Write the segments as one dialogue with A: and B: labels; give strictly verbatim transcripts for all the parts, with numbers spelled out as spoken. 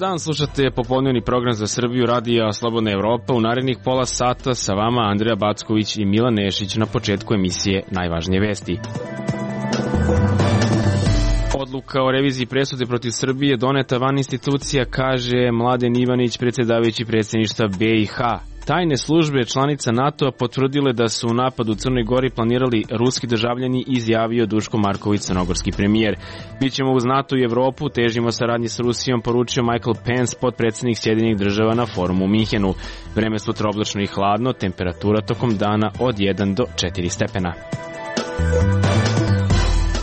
A: dan, slušate popodnevni program za Srbiju Radija Slobodna Evropa. U narednih pola sata sa vama Andreja Backović i Milan Nešić. Na početku emisije najvažnije vesti. Odluka o reviziji presude protiv Srbije doneta van institucija, kaže Mladen Ivanić, predsjedavajući predsjedništva B i H. Tajne službe članica NATO-a potvrdile da su u napadu u Crnoj Gori planirali ruski državljani, izjavio Duško Marković, crnogorski premijer. Bićemo uz NATO i Evropu, težimo saradnji s Rusijom, poručio Michael Pence, potpredsjednik Sjedinjenih država na forumu u Minhenu. Vreme sutra oblačno i hladno, temperatura tokom dana od jedan do četiri stepena.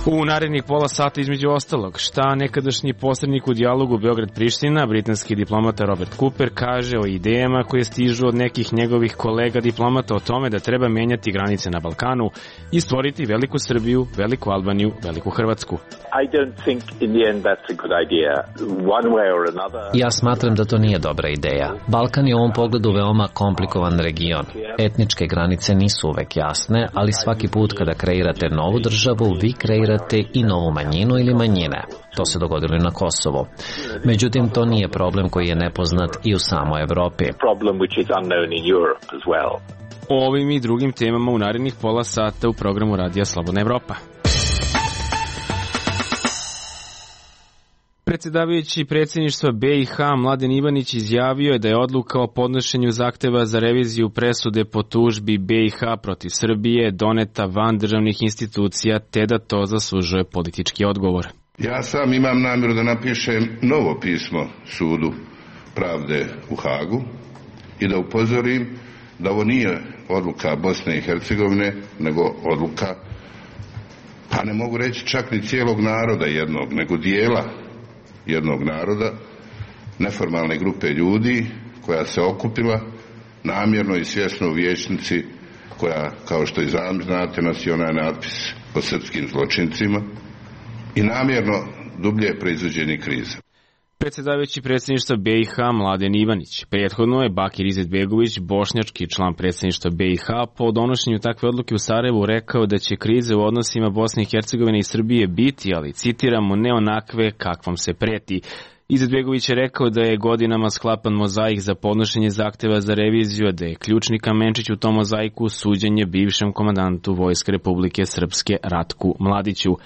A: U narednih pola sata između ostalog, šta nekadašnji posrednik u dijalogu Beograd-Priština, britanski diplomata Robert Cooper, kaže o idejama koje stižu od nekih njegovih kolega diplomata o tome da treba menjati granice na Balkanu i stvoriti veliku Srbiju, veliku Albaniju, veliku Hrvatsku.
B: Ja smatram da to nije dobra ideja. Balkan je u ovom pogledu veoma komplikovan region. Etničke granice nisu uvek jasne, ali svaki put kada kreirate novu državu, vi kreirate i novu manjinu ili manjine. To se dogodilo i na Kosovu. Međutim, to nije problem koji je nepoznat i u samoj Evropi.
A: O ovim i drugim temama u narednih pola sata u programu Radija Slobodna Evropa. Predsjedavajući predsjedništva B i H Mladen Ivanić izjavio je da je odluka o podnošenju zahteva za reviziju presude po tužbi B i H protiv Srbije doneta van državnih institucija, te da to zaslužuje politički odgovor.
C: Ja sam imam namjeru da napišem novo pismo sudu pravde u Hagu i da upozorim da ovo nije odluka Bosne i Hercegovine, nego odluka, pa ne mogu reći čak ni cijelog naroda jednog, nego dijela jednog naroda, neformalne grupe ljudi koja se okupila namjerno i svjesno u vijećnici koja, kao što i znate, nosi onaj natpis o srpskim zločincima i namjerno dublje proizvođenje krize.
A: Predsjedavajući predsjedništva B i H Mladen Ivanić. Prethodno je Bakir Izetbegović, bošnjački član predsjedništva B i H, po donošenju takve odluke u Sarajevu rekao da će krize u odnosima Bosne i Hercegovine i Srbije biti, ali citiramo, ne onakve kakvom se preti. Izetbegović je rekao da je godinama sklapan mozaik za podnošenje zahteva za reviziju, da je ključni kamenčić u tom mozaiku suđenje bivšem komandantu Vojske Republike Srpske Ratku Mladiću.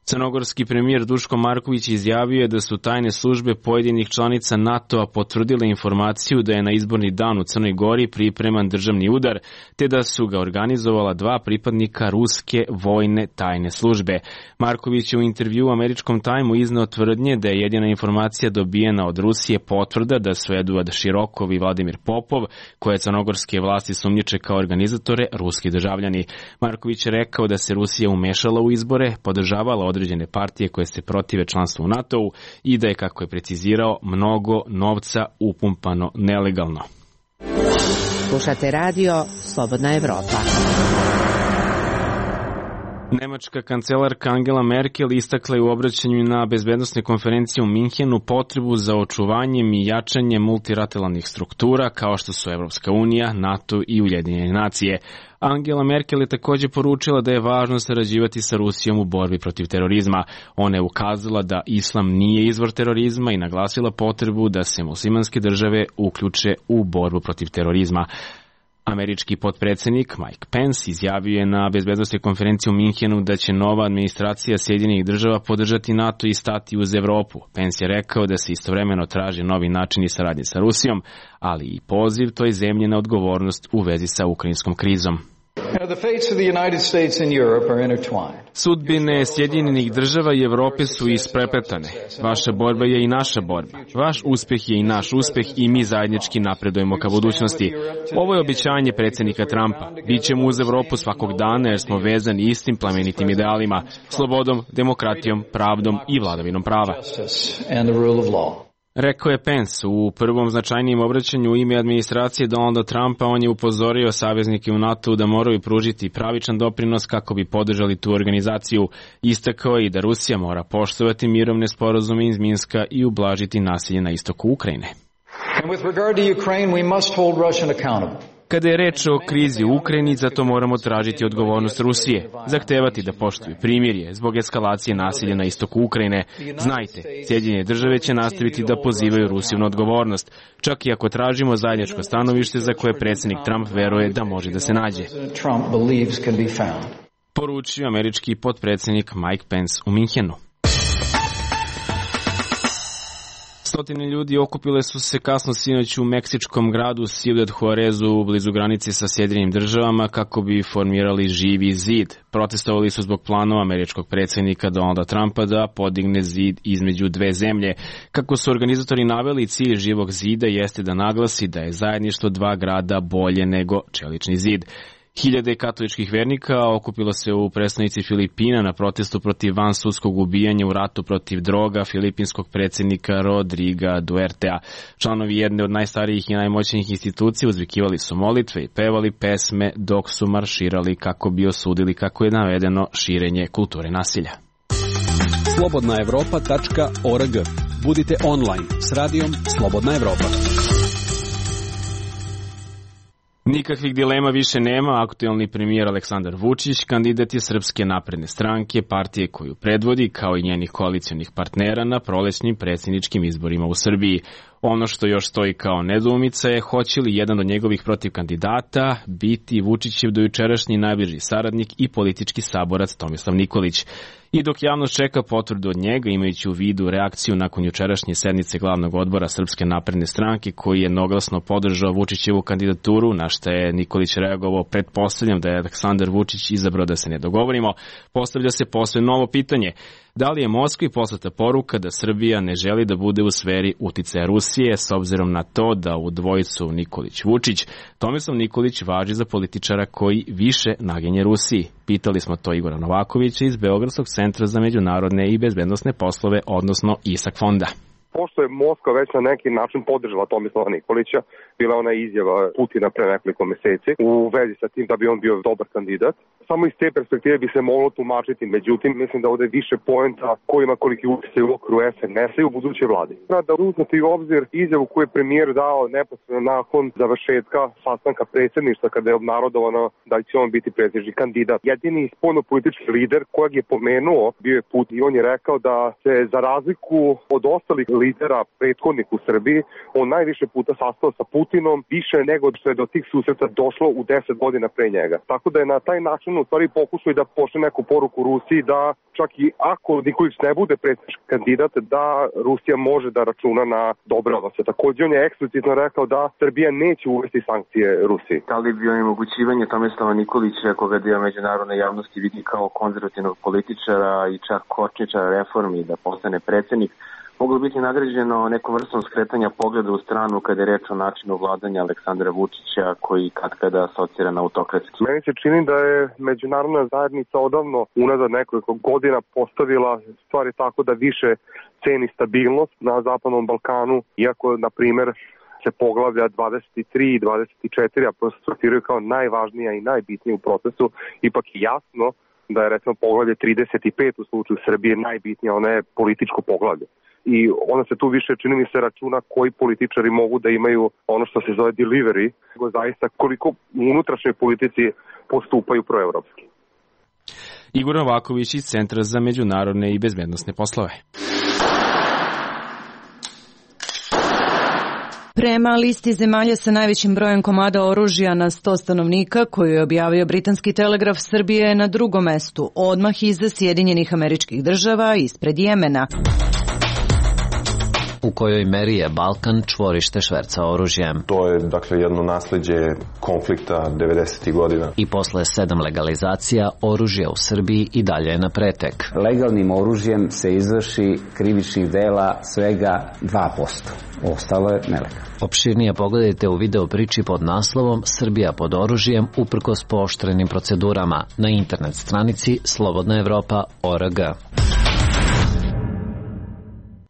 A: Crnogorski premijer Duško Marković izjavio je da su tajne službe pojedinih članica NATO-a potvrdile informaciju da je na izborni dan u Crnoj Gori pripreman državni udar, te da su ga organizovala dva pripadnika ruske vojne tajne službe. Marković je u intervju u američkom Timeu izneo tvrdnje da je jedina informacija dobijena od Rusije potvrda da su Eduard Širokov i Vladimir Popov, koje crnogorske vlasti sumnjiče kao organizatore, ruski državljani. Marković je rekao da se Rusija umešala u izbore, podržavala određene partije koje se protive članstvu u NATO-u i da je, kako je precizirao, mnogo novca upumpano nelegalno.
D: Slušate radio Slobodna Evropa.
A: Nemačka kancelarka Angela Merkel istakla je u obraćanju na bezbednosnoj konferenciji u Minhenu potrebu za očuvanjem i jačanjem multilateralnih struktura kao što su Evropska unija, NATO i Ujedinjene nacije. Angela Merkel je također poručila da je važno sarađivati sa Rusijom u borbi protiv terorizma. Ona je ukazala da islam nije izvor terorizma i naglasila potrebu da se muslimanske države uključe u borbu protiv terorizma. Američki potpredsjednik Mike Pence izjavio je na bezbednosnoj konferenciji u Minhenu da će nova administracija Sjedinjenih država podržati NATO i stati uz Evropu. Pence je rekao da se istovremeno traži novi načini saradnje sa Rusijom, ali i poziv toj zemlji na odgovornost u vezi sa ukrajinskom krizom. Sudbine Sjedinjenih država i Evrope su isprepletane. Vaša borba je i naša borba. Vaš uspeh je i naš uspeh i mi zajednički napredujemo ka budućnosti. Ovo je obećanje predsjednika Trumpa. Bićemo uz Evropu svakog dana jer smo vezani istim plemenitim idealima, slobodom, demokratijom, pravdom i vladavinom prava. Rekao je Pence u prvom značajnijem obraćanju u ime administracije Donalda Trumpa. On je upozorio saveznike u NATO da moraju pružiti pravičan doprinos kako bi podržali tu organizaciju. Istakao je i da Rusija mora poštovati mirovne sporazume iz Minska i ublažiti nasilje na istoku Ukrajine.
E: And with regard to Ukraine, we must hold Russia accountable.
A: Kada je reč o krizi u Ukrajini, za to moramo tražiti odgovornost Rusije, zahtevati da poštuju primirje zbog eskalacije nasilja na istoku Ukrajine. Znajte, Sjedinjene države će nastaviti da pozivaju Rusiju na odgovornost, čak i ako tražimo zajedničko stanovište za koje predsjednik Trump veruje da može da se nađe. Poručio američki potpredsjednik Mike Pence u Minhenu. Stotine ljudi okupile su se kasno sinoć u meksičkom gradu Ciudad Juarezu blizu granice sa Sjedinjenim državama kako bi formirali živi zid. Protestovali su zbog planova američkog predsjednika Donalda Trumpa da podigne zid između dve zemlje. Kako su organizatori naveli, cilj živog zida jeste da naglasi da je zajedništvo dva grada bolje nego čelični zid. Hiljade katoličkih vernika okupilo se u prestonici Filipina na protestu protiv vansudskog ubijanja u ratu protiv droga filipinskog predsjednika Rodriga Duertea. Članovi jedne od najstarijih i najmoćnijih institucija uzvikivali su molitve i pevali pesme dok su marširali kako bi osudili, kako je navedeno, širenje kulture nasilja.
E: slobodna evropa tačka org. Budite online s radijom Slobodna Evropa.
A: Nikakvih dilema više nema, aktuelni premijer Aleksandar Vučić kandidat je Srpske napredne stranke, partije koju predvodi, kao i njenih koalicijonih partnera na prolećnim predsjedničkim izborima u Srbiji. Ono što još stoji kao nedoumica je hoće li jedan od njegovih protiv kandidata biti Vučićev dojučerašnji najbliži saradnik i politički saborac Tomislav Nikolić. I dok javnost čeka potvrdu od njega, imajući u vidu reakciju nakon jučerašnje sednice glavnog odbora Srpske napredne stranke koji je jednoglasno podržao Vučićevu kandidaturu, na što je Nikolić reagovao, pretpostavljam da je Aleksandar Vučić izabrao da se ne dogovorimo, postavlja se posve novo pitanje. Da li je Moskvi poslata poruka da Srbija ne želi da bude u sferi uticaja Rusije, s obzirom na to da u dvojicu Nikolić-Vučić Tomislav Nikolić važi za političara koji više naginje Rusiji? Pitali smo to Igora Novakovića iz Beogradskog centra za međunarodne i bezbednosne poslove, odnosno ISAK fonda.
F: Pošto je Moskva već na neki način podržala Tomislava Nikolića, bila ona izjava Putina pre nekoliko meseci u vezi sa tim da bi on bio dobar kandidat. Samo iz te perspektive bi se moglo tumačiti, međutim mislim da ovde je više poenta ko ima koliki utjecaj u okviru es en es-a i u budućoj vladi. Da uzmete u obzir izjavu koju je premijer dao neposredno nakon završetka sastanka predsjedništva kada je obnarodovano da će on biti predsjednički kandidat. Jedini spoljnopolitički lider kojeg je pomenuo bio je Putin i on je rekao da se za razliku od ostalih lidera prethodnih u Srbiji, on najviše puta sastao sa Putinom, više nego što je do tih susreta došlo u deset godina pre njega. Tako da je na taj način u stvari pokušao da pošle neku poruku Rusiji da čak i ako Nikolić ne bude predsjednički kandidat, da Rusija može da računa na dobre odnose. Također on je eksplicitno rekao da Srbija neće uvesti sankcije Rusiji.
G: Da li bi onemogućivanje Tomislava Nikolića, koga dio međunarodne javnosti vidi kao konzervativnog političara i čak kočničara reformi da postane predsjednik, moglo biti nagrađeno nekom vrstom skretanja pogleda u stranu kada je reč o načinu vladanja Aleksandra Vučića koji katkada asocira na autokratski.
F: Meni se čini da je međunarodna zajednica odavno unazad nekoliko godina postavila stvari tako da više ceni stabilnost na Zapadnom Balkanu, iako na primjer se poglavlja dvadeset tri i dvadeset četiri apostrofiraju kao najvažnija i najbitnija u procesu, ipak je jasno da je recimo poglavlje trideset pet u slučaju Srbije najbitnija, ona je političko poglavlje. I onda se tu više, čini mi se, računa koji političari mogu da imaju ono što se zove delivery, nego zaista koliko u unutrašnjoj politici postupaju proevropski.
A: Igor Novaković iz Centra za međunarodne i bezbednosne poslove.
H: Prema listi zemalja sa najvećim brojem komada oružja na sto stanovnika koju je objavio britanski telegraf, Srbija je na drugom mestu, odmah iza Sjedinjenih Američkih Država, ispred Jemena.
B: U kojoj meri je Balkan čvorište šverca oružjem.
I: To je, dakle, jedno nasleđe konflikta devedesetih godina.
B: I posle sedam legalizacija, oružje u Srbiji i dalje je na pretek.
J: Legalnim oružjem se izvrši krivičnih dela svega dva posto. Ostalo je nelegalno.
B: Opširnije pogledajte u video priči pod naslovom Srbija pod oružjem uprkos pooštrenim procedurama na internet stranici slobodna evropa tačka org.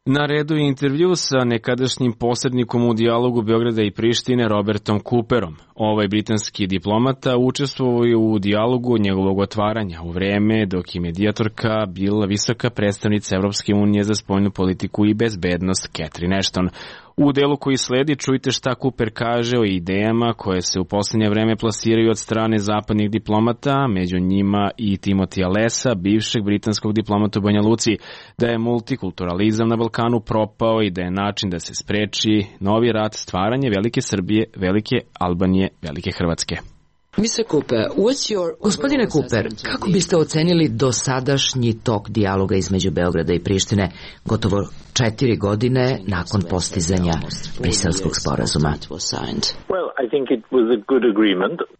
A: Na redu je intervju sa nekadašnjim posrednikom u dijalogu Beograda i Prištine Robertom Cooperom. Ovaj britanski diplomata učestvovao je u dijalogu njegovog otvaranja u vreme dok je medijatorka bila visoka predstavnica Evropske unije za spoljnu politiku i bezbednost Catherine Ashton. U delu koji sledi čujte šta Cooper kaže o idejama koje se u poslednje vreme plasiraju od strane zapadnih diplomata, među njima i Timotija Lesa, bivšeg britanskog diplomata u Banja Luci, da je multikulturalizam na Balkanu propao i da je način da se spreči novi rat stvaranje velike Srbije, velike Albanije, velike Hrvatske.
K: Gospodine Cooper, kako biste ocenili dosadašnji tok dijaloga između Beograda i Prištine gotovo četiri godine nakon postizanja Briselskog sporazuma?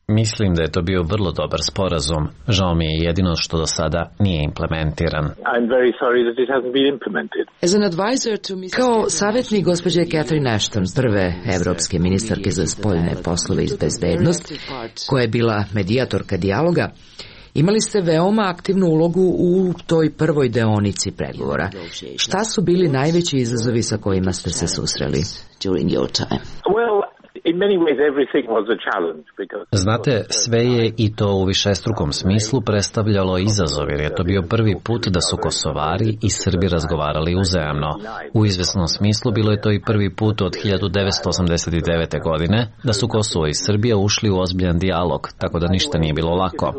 B: Mislim da je to bio vrlo dobar sporazum. Žao mi je jedino što do sada nije implementiran.
K: Kao savjetnik gospođe Catherine Ashton, prve evropske ministarke za spoljne poslove i bezbednost, koja je bila medijatorka dijaloga, imali ste veoma aktivnu ulogu u toj prvoj deonici pregovora. Šta su bili najveći izazovi sa kojima ste se susreli?
B: Znate, sve je i to u višestrukom smislu predstavljalo izazov, jer je to bio prvi put da su Kosovari i Srbi razgovarali uzajamno. U izvesnom smislu bilo je to i prvi put od hiljadu devetsto osamdeset devete. godine da su Kosovo i Srbija ušli u ozbiljan dijalog, tako da ništa nije bilo lako.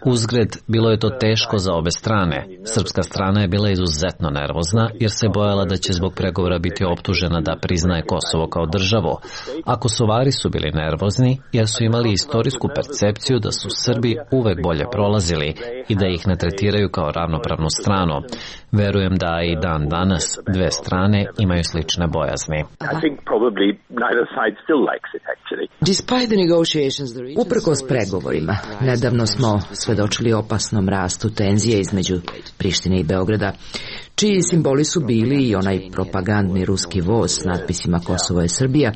B: Uzgred, bilo je to teško za obe strane. Srpska strana je bila izuzetno nervozna, jer se bojala da će zbog pregovora biti optužena da priznaje Kosovo kao državu. Ako Kosovari su bili nervozni jer su imali istorijsku percepciju da su Srbi uvek bolje prolazili i da ih ne tretiraju kao ravnopravnu stranu. Verujem da i dan danas dve strane imaju slične bojazni.
K: Uprkos pregovorima, nedavno smo svedočili opasnom rastu tenzije između Prištine i Beograda, čiji simboli su bili i onaj propagandni ruski voz s natpisima Kosovo je Srbija,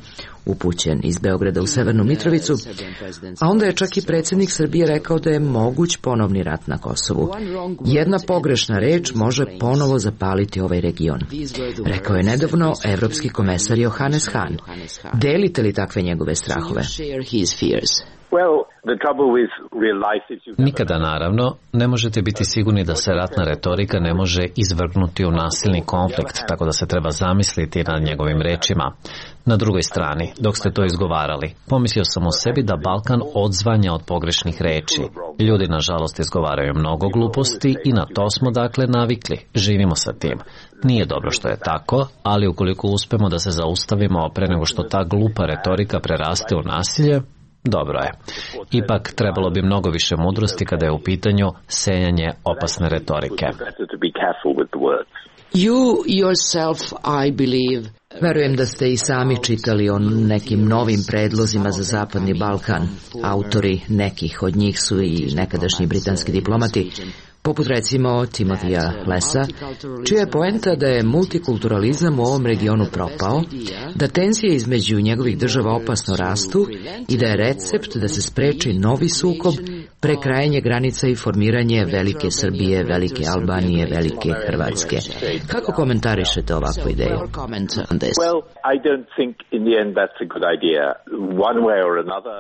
K: upućen iz Beograda u Severnu Mitrovicu, a onda je čak i predsjednik Srbije rekao da je moguć ponovni rat na Kosovu. Jedna pogrešna reč može ponovo zapaliti ovaj region. Rekao je nedavno evropski komesar Johannes Hahn. Delite li takve njegove strahove?
B: Nikada, naravno, ne možete biti sigurni da se ratna retorika ne može izvrgnuti u nasilni konflikt, tako da se treba zamisliti nad njegovim rečima. Na drugoj strani, dok ste to izgovarali, pomislio sam o sebi da Balkan odzvanja od pogrešnih reči. Ljudi, nažalost, izgovaraju mnogo gluposti i na to smo dakle navikli. Živimo sa tim. Nije dobro što je tako, ali ukoliko uspemo da se zaustavimo pre nego što ta glupa retorika preraste u nasilje, dobro je. Ipak trebalo bi mnogo više mudrosti kada je u pitanju sejanje opasne retorike.
K: You yourself, I believe. Verujem da ste i sami čitali o nekim novim predlozima za Zapadni Balkan. Autori nekih od njih su i nekadašnji britanski diplomati, poput recimo Timotija Lesa, čija je poenta da je multikulturalizam u ovom regionu propao, da tenzije između njegovih država opasno rastu i da je recept da se spreči novi sukob, prekrajanje granica i formiranje velike Srbije, velike Albanije, velike Hrvatske. Kako komentarišete ovakvu ideju?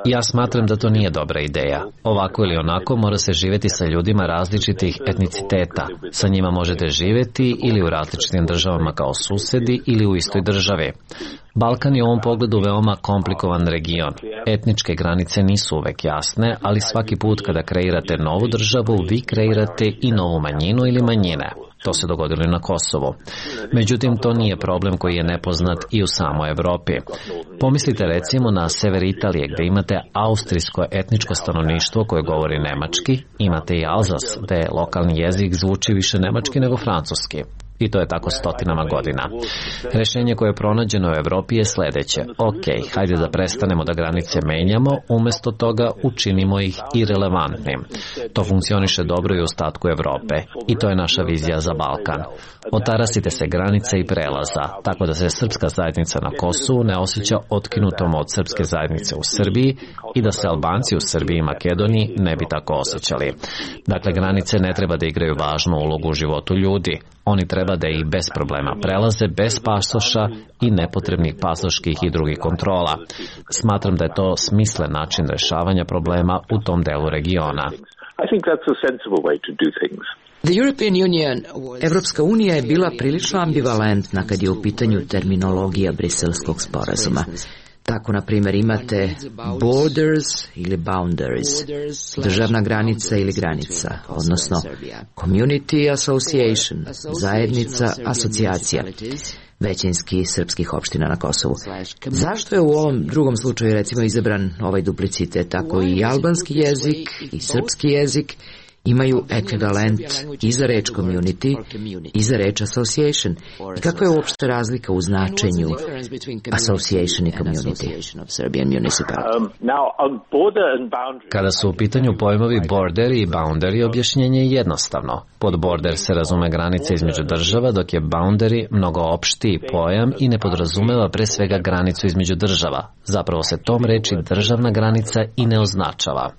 B: Ja smatram da to nije dobra ideja. Ovako ili onako mora se živjeti sa ljudima različitih etniciteta. Sa njima možete živjeti ili u različitim državama kao susedi ili u istoj državi. Balkan je u ovom pogledu veoma komplikovan region. Etničke granice nisu uvek jasne, ali svaki put kada kreirate novu državu, vi kreirate i novu manjinu ili manjine. To se dogodilo i na Kosovu. Međutim, to nije problem koji je nepoznat i u samoj Evropi. Pomislite recimo na sever Italije gdje imate austrijsko etničko stanovništvo koje govori nemački, imate i Alzas gdje lokalni jezik zvuči više nemački nego francuski. I to je tako stotinama godina. Rešenje koje je pronađeno u Evropi je sledeće. Ok, hajde da prestanemo da granice menjamo, umjesto toga učinimo ih irelevantnim. To funkcioniše dobro i u ostatku Evrope. I to je naša vizija za Balkan. Otarasite se granice i prelaza, tako da se srpska zajednica na Kosovu ne osjeća otkinutom od srpske zajednice u Srbiji i da se Albanci u Srbiji i Makedoniji ne bi tako osjećali. Dakle, granice ne treba da igraju važnu ulogu u životu ljudi. Oni treba da ih bez problema prelaze, bez pasoša i nepotrebnih pasoških i drugih kontrola. Smatram da je to smislen način rešavanja problema u tom delu regiona.
K: Evropska unija je bila prilično ambivalentna kad je u pitanju terminologija Briselskog sporazuma. Tako, na primjer, imate borders ili boundaries, državna granica ili granica, odnosno community association, zajednica, asocijacija većinski srpskih opština na Kosovu. Zašto je u ovom drugom slučaju recimo izabran ovaj duplicitet? Tako i albanski jezik i srpski jezik imaju ekvivalent i za reč community i za reč association. I kakva je uopšte razlika u značenju association i community?
B: Kada su u pitanju pojmovi border i boundary, objašnjenje je jednostavno. Pod border se razume granice između država, dok je boundary mnogo opštiji pojam i ne podrazumeva pre svega granicu između država. Zapravo se tom reči državna granica i ne označava.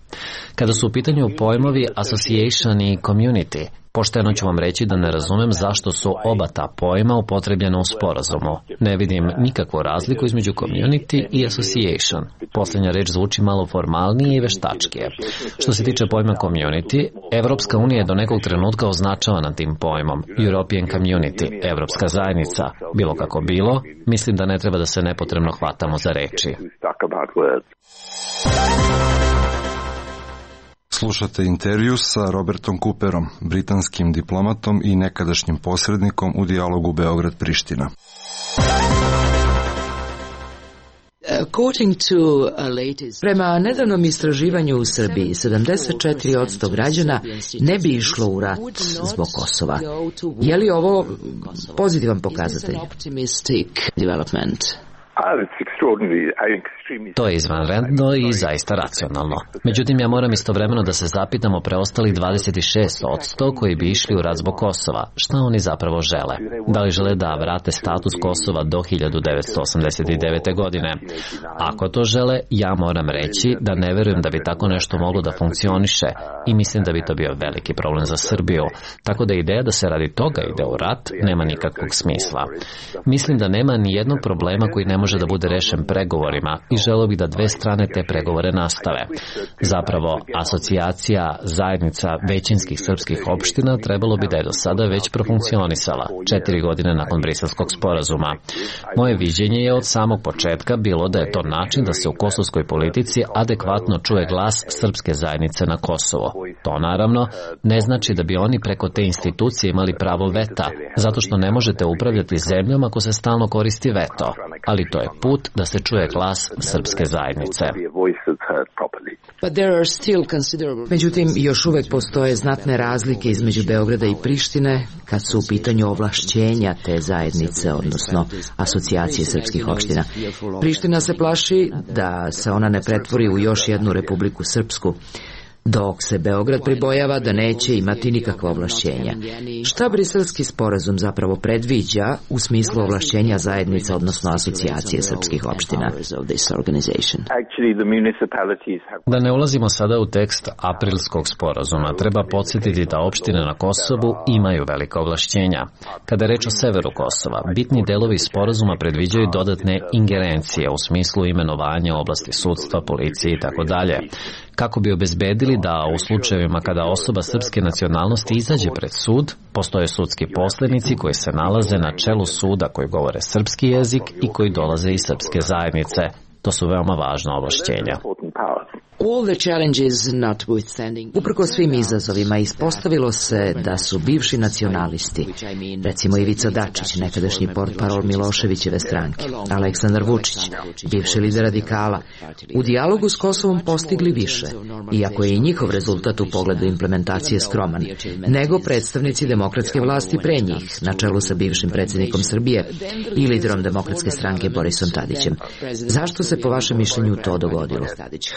B: Kada su u pitanju pojmovi association i community, pošteno ću vam reći da ne razumem zašto su oba ta pojma upotrebljena u sporazumu. Ne vidim nikakvu razliku između community i association. Posljednja reč zvuči malo formalnije i veštačkije. Što se tiče pojma community, Evropska unija je do nekog trenutka označavana tim pojmom. European Community, Evropska zajednica. Bilo kako bilo, mislim da ne treba da se nepotrebno hvatamo za reči.
L: Slušate intervju sa Robertom Cooperom, britanskim diplomatom i nekadašnjim posrednikom u dijalogu Beograd-Priština.
K: Prema nedavnom istraživanju u Srbiji, sedamdeset četiri posto građana ne bi išlo u rat zbog Kosova. Je li ovo pozitivan pokazatelj?
B: To je izvanredno i zaista racionalno. Međutim, ja moram istovremeno da se zapitamo preostalih dvadeset šest posto koji bi išli u rat zbog Kosova. Šta oni zapravo žele? Da li žele da vrate status Kosova do hiljadu devetsto osamdeset devete. godine? Ako to žele, ja moram reći da ne verujem da bi tako nešto moglo da funkcioniše i mislim da bi to bio veliki problem za Srbiju. Tako da ideja da se radi toga ide u rat nema nikakvog smisla. Mislim da nema ni jednog problema koji ne može da bude rešen pregovorima i želeo bih da dve strane te pregovore nastave. Zapravo, asocijacija zajednica većinskih srpskih opština trebalo bi da je do sada već profunkcionisala, četiri godine nakon Briselskog sporazuma. Moje viđenje je od samog početka bilo da je to način da se u kosovskoj politici adekvatno čuje glas srpske zajednice na Kosovo. To naravno ne znači da bi oni preko te institucije imali pravo veta, zato što ne možete upravljati zemljom ako se stalno koristi veto, ali to je put da se čuje glas srpske zajednice.
K: Međutim, još uvek postoje znatne razlike između Beograda i Prištine kad su u pitanju ovlašćenja te zajednice, odnosno asocijacije srpskih opština. Priština se plaši da se ona ne pretvori u još jednu Republiku Srpsku, dok se Beograd pribojava da neće imati nikakva ovlašćenja. Šta Briselski sporazum zapravo predviđa u smislu ovlašćenja zajednica, odnosno asocijacije srpskih opština?
B: Da ne ulazimo sada u tekst aprilskog sporazuma, treba podsjetiti da opštine na Kosovu imaju velika ovlašćenja. Kada je reč o severu Kosova, bitni delovi sporazuma predviđaju dodatne ingerencije u smislu imenovanja oblasti sudstva, policije i tako dalje, kako bi obezbedili da u slučajevima kada osoba srpske nacionalnosti izađe pred sud, postoje sudski poslednici koji se nalaze na čelu suda koji govore srpski jezik i koji dolaze iz srpske zajednice. To su veoma važna ovlašćenja.
K: Uprkos svim izazovima ispostavilo se da su bivši nacionalisti, recimo Ivica Dačić, nekadašnji portparol Miloševićeve stranke, Aleksandar Vučić, bivši lider radikala, u dijalogu s Kosovom postigli više, iako je i njihov rezultat u pogledu implementacije skroman, nego predstavnici demokratske vlasti pre njih, na čelu sa bivšim predsjednikom Srbije i liderom demokratske stranke Borisom Tadićem. Zašto se po vašem mišljenju to dogodilo?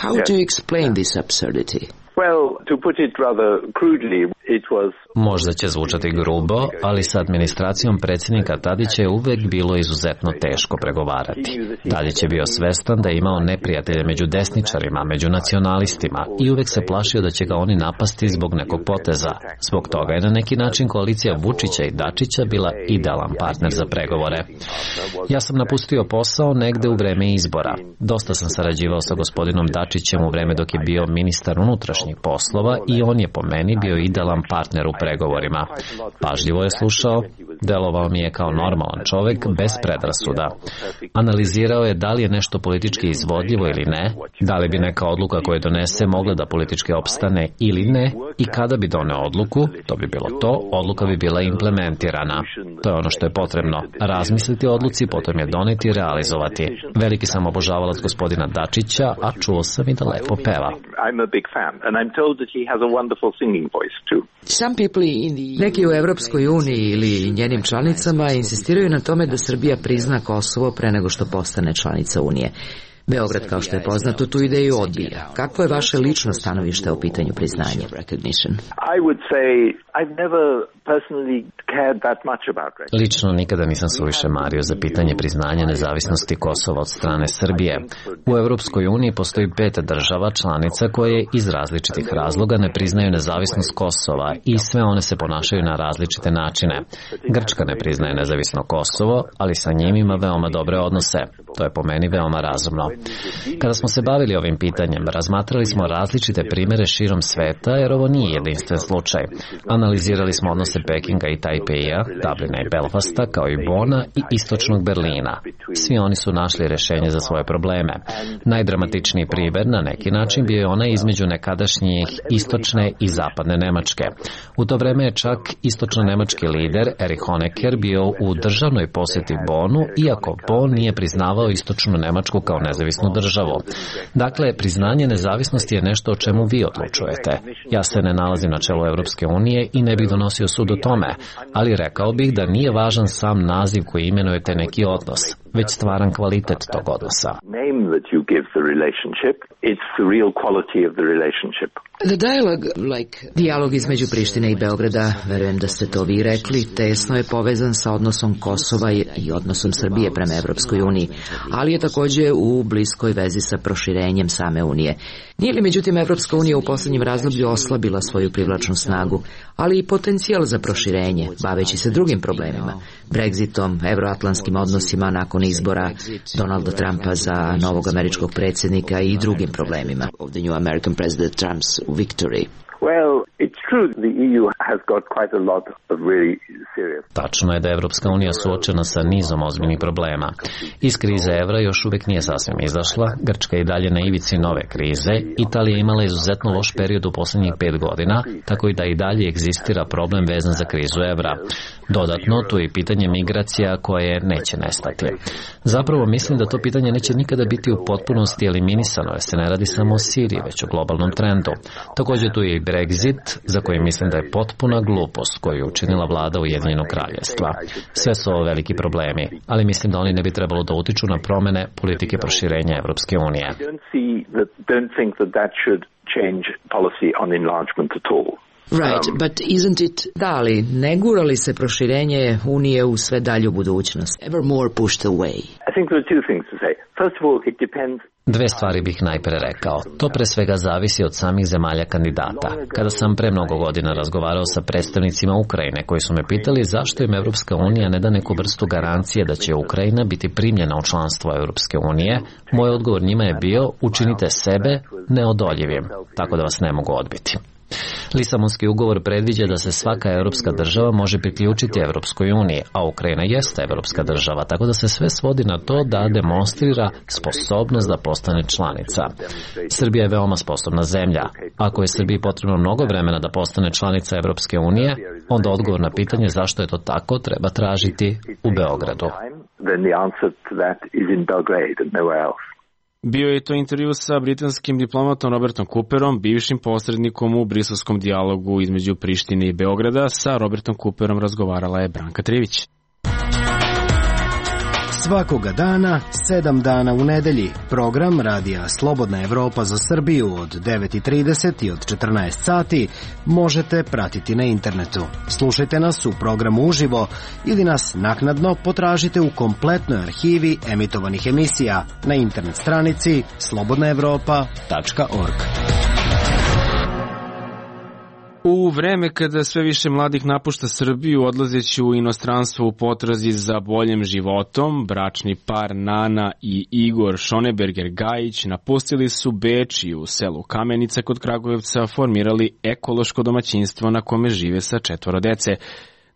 K: How do you explain this absurdity?
M: Well, to put it rather crudely, it was...
B: Možda će zvučati grubo, ali sa administracijom predsjednika Tadića je uvek bilo izuzetno teško pregovarati. Tadić je bio svestan da je imao neprijatelje među desničarima, među nacionalistima i uvek se plašio da će ga oni napasti zbog nekog poteza. Zbog toga je na neki način koalicija Vučića i Dačića bila idealan partner za pregovore. Ja sam napustio posao negde u vreme izbora. Dosta sam sarađivao sa gospodinom Dačićem u vreme dok je bio ministar unutrašnjih unutrašnjih poslova i on je po meni bio idealan partner u pregovorima. Pažljivo je slušao, delovao mi je kao normalan čovek bez predrasuda. Analizirao je da li je nešto politički izvodljivo ili ne, da li bi neka odluka koju donese mogla da politički opstane ili ne i kada bi doneo odluku, to bi bilo to, odluka bi bila implementirana. To je ono što je potrebno. Razmisliti o odluci, potom je doneti i realizovati. Veliki sam obožavalac gospodina Dačića, a čuo sam i da lepo peva.
K: Neki u Evropskoj uniji ili njenim članicama insistiraju na tome da Srbija prizna Kosovo pre nego što postane članica Unije. Beograd, kao što je poznato, tu ideju odbija. Kako je vaše lično stanovište o pitanju priznanja?
B: Lično nikada nisam suviše mario za pitanje priznanja nezavisnosti Kosova od strane Srbije. U Evropskoj uniji postoji pet država članica koje iz različitih razloga ne priznaju nezavisnost Kosova i sve one se ponašaju na različite načine. Grčka ne priznaje nezavisno Kosovo, ali sa njim ima veoma dobre odnose. To je po meni veoma razumno. Kada smo se bavili ovim pitanjem, razmatrali smo različite primere širom sveta, jer ovo nije jedinstven slučaj. Analizirali smo odnose Pekinga i Tajpeja, Dublina i Belfasta, kao i Bona i istočnog Berlina. Svi oni su našli rešenje za svoje probleme. Najdramatičniji primer, na neki način, bio je onaj između nekadašnjih istočne i zapadne Nemačke. U to vreme je čak istočno-nemački lider Erich Honecker bio u državnoj poseti Bonu, iako Bon nije priznavao istočnu Nemačku kao nezavisnu državu. Dakle, priznanje nezavisnosti je nešto o čemu vi odlučujete. Ja se ne nalazim na čelu Evropske unije i ne bih donosio sud o tome, ali rekao bih da nije važan sam naziv koji imenujete neki odnos, već stvaran kvalitet tog odnosa.
K: Dijalog između Prištine i Beograda, verujem da ste to vi rekli, tesno je povezan sa odnosom Kosova i odnosom Srbije prema Evropskoj uniji, ali je takođe u bliskoj vezi sa proširenjem same Unije. Nije li međutim Evropska unija u poslednjem razdoblju oslabila svoju privlačnu snagu, ali i potencijal za proširenje, baveći se drugim problemima, Brexitom, evroatlantskim odnosima nakon izbora Donalda Trumpa za novog američkog predsjednika i drugim problemima. Of the new American president Trump's victory.
M: Well, it's true the E U has got quite a lot of really serious.
B: Tačno je da je Evropska unija suočena sa nizom ozbiljnih problema. Iz krize evra još uvek nije sasvim izašla, Grčka je i dalje na ivici nove krize, Italija je imala izuzetno loš period u poslednjih pet godina, tako i da i dalje egzistira problem vezan za krizu evra. Dodatno, tu je pitanje migracija koje neće nestati. Zapravo mislim da to pitanje neće nikada biti u potpunosti eliminisano, jer se ne radi samo o Siriji, već o globalnom trendu. Također tu je i Brexit, za koji mislim da je potpuna glupost koju je učinila vlada Ujedinjenog kraljevstva. Sve su ovo veliki problemi, ali mislim da oni ne bi trebalo da utiču na promene politike proširenja Evropske unije.
K: Right, but isn't it... Da, ali ne gura li se proširenje Unije u sve dalju budućnost? Ever more pushed away.
M: I think there are two things to say. First of all, it depends.
B: Dve stvari bih najpre rekao. To pre svega zavisi od samih zemalja kandidata. Kada sam pre mnogo godina razgovarao sa predstavnicima Ukrajine koji su me pitali zašto im Evropska unija ne da neku vrstu garancije da će Ukrajina biti primljena u članstvo Evropske unije, moj odgovor njima je bio učinite sebe neodoljivim, tako da vas ne mogu odbiti. Lisabonski ugovor predviđa da se svaka evropska država može priključiti Evropskoj uniji, a Ukrajina jeste evropska država, tako da se sve svodi na to da demonstrira sposobnost da postane članica. Srbija je veoma sposobna zemlja. Ako je Srbiji potrebno mnogo vremena da postane članica Evropske unije, onda odgovor na pitanje zašto je to tako treba tražiti u Beogradu.
A: Bio je to intervju sa britanskim diplomatom Robertom Cooperom, bivšim posrednikom u briselskom dijalogu između Prištine i Beograda. Sa Robertom Cooperom razgovarala je Branka Trivić.
N: Svakoga dana, sedam dana u nedelji, program radija Slobodna Evropa za Srbiju od devet i trideset i od četrnaest sati možete pratiti na internetu. Slušajte nas u programu uživo ili nas naknadno potražite u kompletnoj arhivi emitovanih emisija na internet stranici slobodna evropa tačka org.
A: U vreme kada sve više mladih napušta Srbiju odlazeći u inostranstvo u potrazi za boljim životom, bračni par Nana i Igor Šoneberger-Gajić napustili su Beč i u selu Kamenica kod Kragujevca formirali ekološko domaćinstvo na kome žive sa četvoro dece.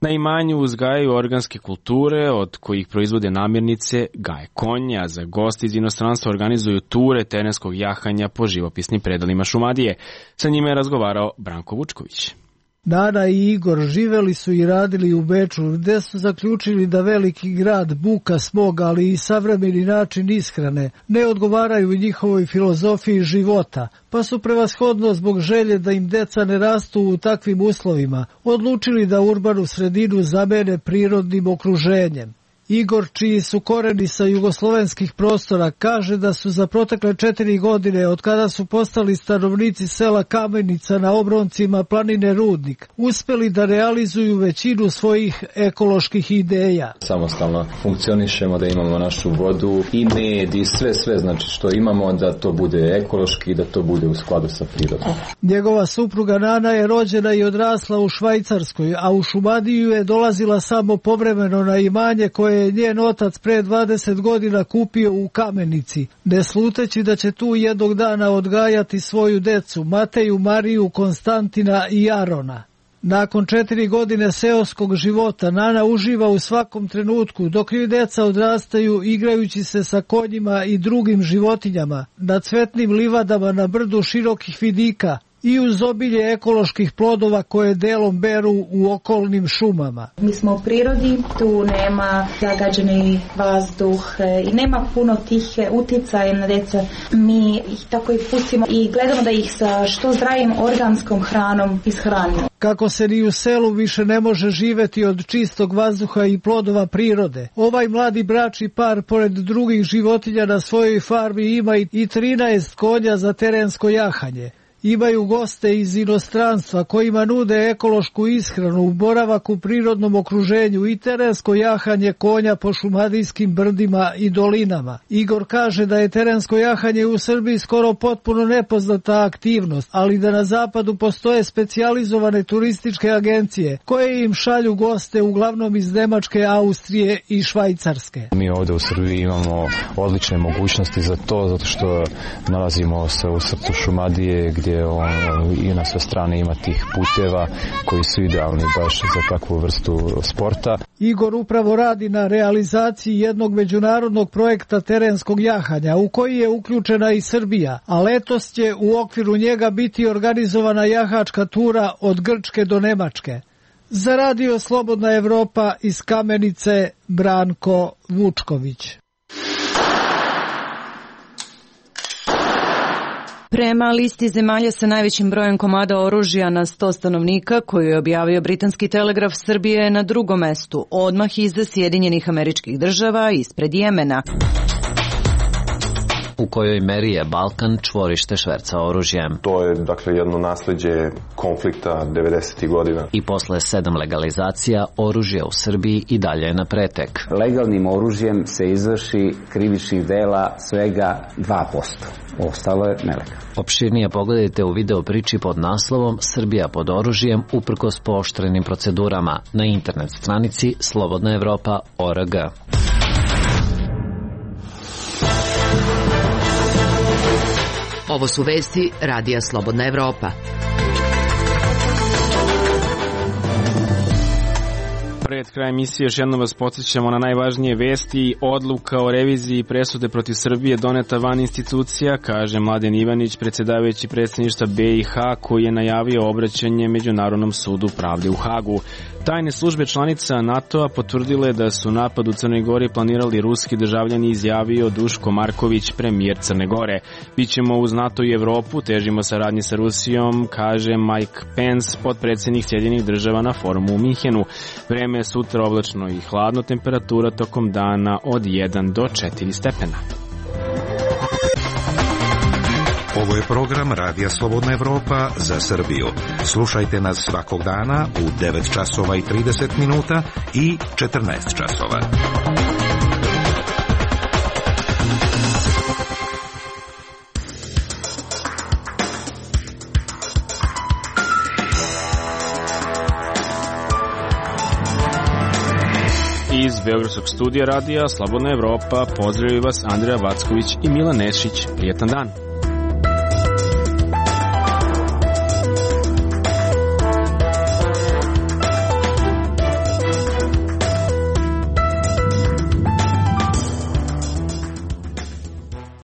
A: Na imanju uzgajaju organske kulture od kojih proizvode namirnice, gaje konja, a za gosti iz inostranstva organizuju ture terenskog jahanja po živopisnim predalima Šumadije. Sa njima je razgovarao Branko Vučković.
O: Nana i Igor živeli su i radili u Beču, gde su zaključili da veliki grad, buka, smog, ali i savremeni način ishrane ne odgovaraju njihovoj filozofiji života, pa su prevashodno zbog želje da im deca ne rastu u takvim uslovima odlučili da urbanu sredinu zamene prirodnim okruženjem. Igor, čiji su koreni sa jugoslovenskih prostora, kaže da su za protekle četiri godine, od kada su postali stanovnici sela Kamenica na obroncima planine Rudnik, uspeli da realizuju većinu svojih ekoloških ideja.
P: Samostalno funkcionišemo, da imamo našu vodu i med i sve, sve znači što imamo, da to bude ekološki i da to bude u skladu sa prirodom.
O: Njegova supruga Nana je rođena i odrasla u Švajcarskoj, a u Šumadiju je dolazila samo povremeno na imanje koje je njen otac pre dvadeset godina kupio u Kamenici, ne sluteći da će tu jednog dana odgajati svoju decu, Mateju, Mariju, Konstantina i Arona. Nakon četiri godine seoskog života, Nana uživa u svakom trenutku, dok joj deca odrastaju igrajući se sa konjima i drugim životinjama, na cvetnim livadama na brdu širokih vidika i uz obilje ekoloških plodova koje delom beru u okolnim šumama.
Q: Mi smo u prirodi, tu nema zagađeni vazduh i nema puno tih uticaja na deca. Mi ih tako i pustimo i gledamo da ih sa što zdravim organskom hranom ishranimo.
O: Kako se ni u selu više ne može živeti od čistog vazduha i plodova prirode, ovaj mladi bračni par pored drugih životinja na svojoj farmi ima i trinaest konja za terensko jahanje. Imaju goste iz inostranstva kojima nude ekološku ishranu, boravak u prirodnom okruženju i terensko jahanje konja po šumadijskim brdima i dolinama. Igor kaže da je terensko jahanje u Srbiji skoro potpuno nepoznata aktivnost, ali da na zapadu postoje specijalizovane turističke agencije koje im šalju goste uglavnom iz Nemačke, Austrije i Švajcarske.
P: Mi ovde u Srbiji imamo odlične mogućnosti za to, zato što nalazimo se u srcu Šumadije, gdje On, i na sve strane ima tih puteva koji su idealni baš za takvu vrstu sporta.
O: Igor upravo radi na realizaciji jednog međunarodnog projekta terenskog jahanja u koji je uključena i Srbija, a letos će u okviru njega biti organizovana jahačka tura od Grčke do Nemačke. Za Radio Slobodna Evropa iz Kamenice, Branko Vučković.
H: Prema listi zemalja sa najvećim brojem komada oružja na sto stanovnika, koju je objavio britanski telegraf, Srbija je na drugom mestu, odmah iza Sjedinjenih Američkih Država, ispred Jemena.
B: U kojoj meri je Balkan čvorište šverca oružjem.
I: To je, dakle, jedno nasleđe konflikta devedesetih godina.
B: I posle sedam legalizacija, oružje u Srbiji i dalje je na pretek.
J: Legalnim oružjem se izvrši krivičnih dela svega dva posto. Ostalo je nelegalno.
B: Opširnije pogledajte u video priči pod naslovom Srbija pod oružjem uprkos pooštrenim procedurama na internet stranici slobodna evropa tačka org.
K: Ovo su vesti Radija Slobodna Evropa.
A: Pred kraj emisije još jednom vas podsjećamo na najvažnije vesti. Odluka o reviziji presude protiv Srbije doneta van institucija, kaže Mladen Ivanić, predsjedavajući predsjedništva B i H, koji je najavio obraćanje Međunarodnom sudu pravde u Hagu. Tajne službe članica NATO-a potvrdile da su napad u Crnoj Gori planirali ruski državljani, izjavio Duško Marković, premijer Crne Gore. Bićemo uz NATO i Evropu, težimo saradnji sa Rusijom, kaže Mike Pence, potpredsjednik Sjedinjenih Država na forumu u Minhenu. Vreme je sutra oblačno i hladno, temperatura tokom dana od jedan do četiri stepena.
R: Ovo je program Radija Slobodna Evropa za Srbiju. Slušajte nas svakog dana u devet časova i trideset minuta i četrnaest časova.
A: Beogradskog studija radija Slobodna Evropa pozdravljaju vas Andreja Vacković i Milan Nešić. Prijetan dan.